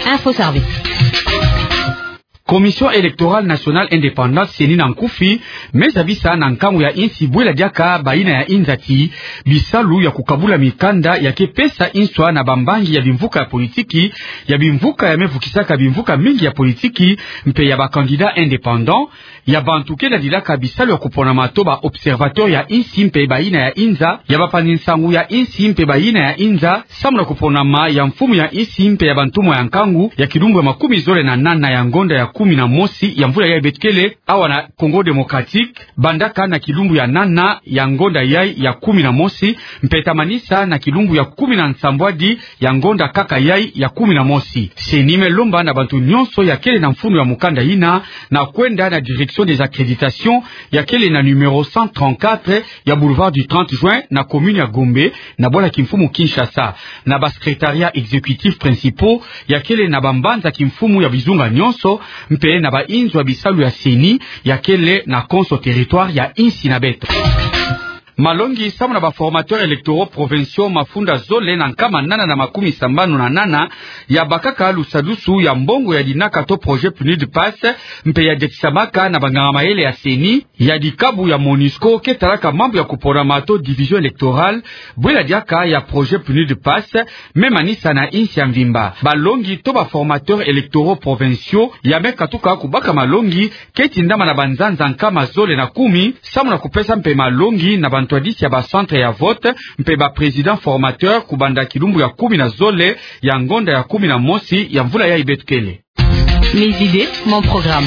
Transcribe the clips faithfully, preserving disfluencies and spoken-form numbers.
Info Service. Commission électorale nationale indépendante, C E N I na nkufi, me zabisa na nkangu ya insi bwela diaka bayina ya inzati bisalu ya kukabula mikanda ya ke pesa inswa na bambangi ya bimvuka ya politiki, ya bimvuka ya me vukisaka bimvuka mingi ya politiki, mpe ya ba candidats indépendants, ya bantu ke ladilaka bisalu ya kuponama to ba observateurs ya insi mpe bayina ya inza, ya bapangi nsangu ya insi mpe bayina ya inza, samu na kuponama ya mfumu ya insi mpe ya bantumwa ya nkangu ya kilumbu ya makumi zole na nana ya ngonda ya kumi na mosi ya mvula yayi beto kele awa na Congo Démocratique, bandaka na kilumbu ya nana ya ngonda yayi ya kumi na mosi, mpe ta manisa na kilumbu ya kumi na nsambwadi ya ngonda kaka yayi ya kumi na mosi. C E N I me lomba na bantu nyonso ya kele na mfunu ya mukanda yina na kwenda na direction des accréditations ya kele na numéro cent trente-quatre ya boulevard du trente juin na commune ya Gombe na bwala kimfumu Kinshasa, na ba secrétariats exécutifs principaux ya kele na bambanza kimfumu ya bizunga nyonso, mpe na ba inzo ya bisalu ya C E N I ya kele na konso territoire ya insi na beto. Malongi samu na ba formateurs électoraux provinciaux mafunda zole na nkama nana na makumi sambanu na nana ya bakaka lusadusu ya mbongo ya dinaka to projet PNUD PASS, mpe ya diatisamaka na banganga mayele ya C E N I ya dikabu ya MONUSCO ke talaka mambu ya kuponama to division électorale, bwela diaka ya projet PNUD PASS, me manisa na insi ya mvimba. Balongi to ba formateurs électoraux provinciaux ya me katuka kubaka malongi ke tindama na banzanza nkama zole na kumi, samu na kupesa mpe malongi na bantwadisi ya ba centres ya vote mpe ba présidents formateurs kubanda kilumbu ya kumi na zole ya ngonda ya kumi na mosi ya mvula yayi beto kele. Mes idées, mon programme.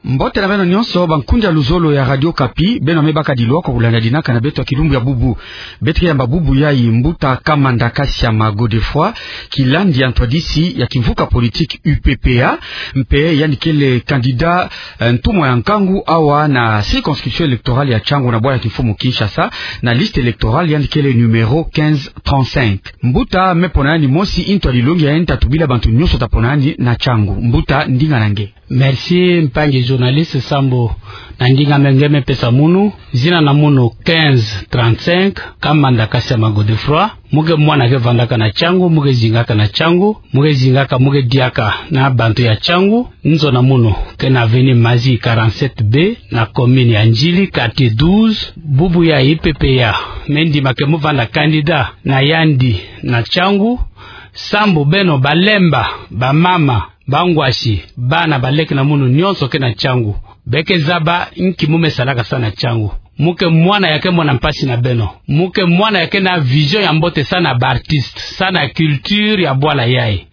Mbote na beno nyonso, bankundi ya luzolo ya Radio Okapi, beno me baka dilwa kwa kulanda dinaka na beto ya kilumbu ya bubu. Beto ke yamba bubu yayi mbuta Kamanda Kasiama Godefroid, kilandi ya ntwadisi ya kimvuka politique U P P A, mpe yandi kele candidat, eh, ntumwa ya nkangu awa na circonscription électorale ya Tshangu na bwala kimfumu Kinshasa, na liste électorale yandi kele numéro quinze trente-cinq. Mbuta, me pona yandi mosi, ntwadi longi ya yandi ta tubila bantu nyonso ta pona yandi na Tshangu. Mbuta, ndinga na nge. Merci, mpangi journaliste, sambu na ndinga me nge me pesa munu. Zina na munu quinze trente-cinq, Kamanda Kasiama Godefroid. Mu ke mwana ke vandaka na Tshangu, mu ke zingaka na Tshangu, mu ke zingaka, mu ke diaka na bantu ya Tshangu. Nzona munu ke na avenue Mazi quarante-sept B, na commune ya Ndjili, quartier douze. Bubu ya U P P A me ndima ke mu vanda candidat na yandi na Tshangu, sambu beno balemba, bamama, bangwasi, bana, baleke na munu nyonso ke na Tshangu, be ke zaba nki mu me salaka sa na Tshangu. Mu ke mwana ya ke mona mpasi na beno. Mu ke mwana ya ke na vision ya mbote sa na ba artistes, sa na culture ya bwala yayi.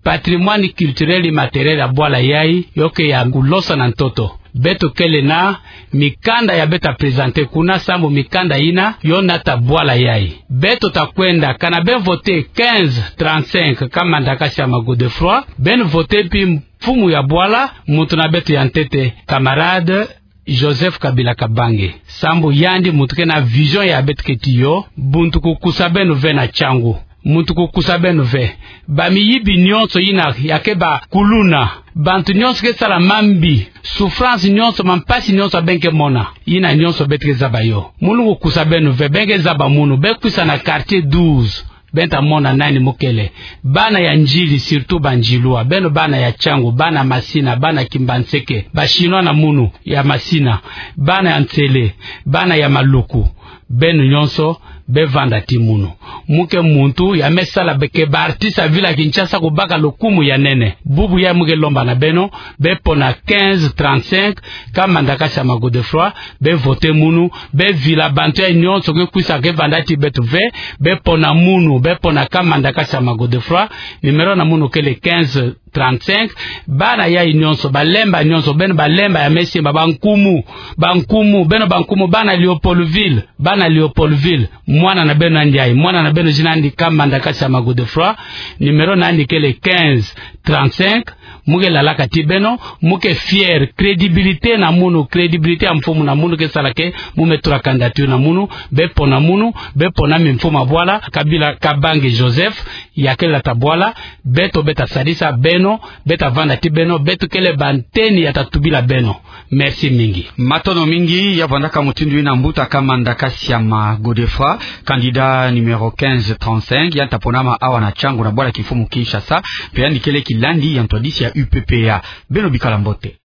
Patrimoine culturel immatériel ya bwala yayi, yo ke ya kulosa na ntoto. Beto kele na mikanda ya beto ta présenter kuna, sambu mikanda yina yo nata bwala yayi. Beto ta kwenda, kana beno voter quinze trente-cinq Kamanda Kasiama Godefroid, beno voter mpi mfumu ya bwala, muntu na beto ya ntete, camarade Joseph Kabila Kabange. Sambu yandi muntu ke na vision ya beto ke tiyo, muntu kukusa beno ve na Tshangu. Muntu kukusa beno ve. Bamiyibi nyonso yina ya ke bakuluna, bantu nyonso ke sala mambi, souffrance nyonso, mampasi nyonso ya beno ke mona, yina nyonso beto ke zaba yo. Munu kukusa beno ve, beno ke zaba munu, beno kwisa na quartier douze. Beno ta mona nani mu kele. Bana ya Ndjili, surtout ba Ndjilwa. Beno bana ya Tshangu, bana Masina, bana Kimbanseke, ba Chinois na munu ya Masina, bana ya Nsele, bana ya Maluku. Beno nyonso, beno vanda ti munu. Mu ke muntu ya me sala be ke ba artistes ya ville ya Kinshasa kubaka lukumu ya nene. Bubu ya mu ke lomba na beno, beno pona quinze trente-cinq, Kamanda Kasiama Godefroid, beno voter munu, beno vila bantu ya nyonso ke kwisa ke vanda ti beto ve, beno pona munu, beno pona Kamanda Kasiama Godefroid, numéro na munu kele quinze trente-cinq, bana yayi nyonso, balemba nyonso, beno balemba ya me simba, bankumu, bankumu, beno bankumu, bana Leopoldville, bana Leopoldville, mwana na beno yandi yayi, mwana na beno zina yandi Kamanda Kasiama Godefroid, numéro na yandi kele quinze trente-cinq, Mu ke lalaka ti beno, mu ke fier, crédibilité na munu, crédibilité ya mfumu na munu ke sala ke mu me tula candidature na munu, be pona munu, be pona mi mfumu abwala, Kabila Kabange Joseph, ya ke lata bwala, beto be ta sadisa beno, be ta vanda ti beno, beto kele banteni ya ta tubila beno. Merci mingi. Matondo mingi, ya vandaka mutindu ina mbuta Kamanda Kasiama Godefroid, candidat numéro quinze trente-cinq, ya ta ponama awa na Tshangu na bwala kimfumu Kinshasa, mpe yandi kele kilandi ya ntwadisi ya U P P A. Beno bikala mbote.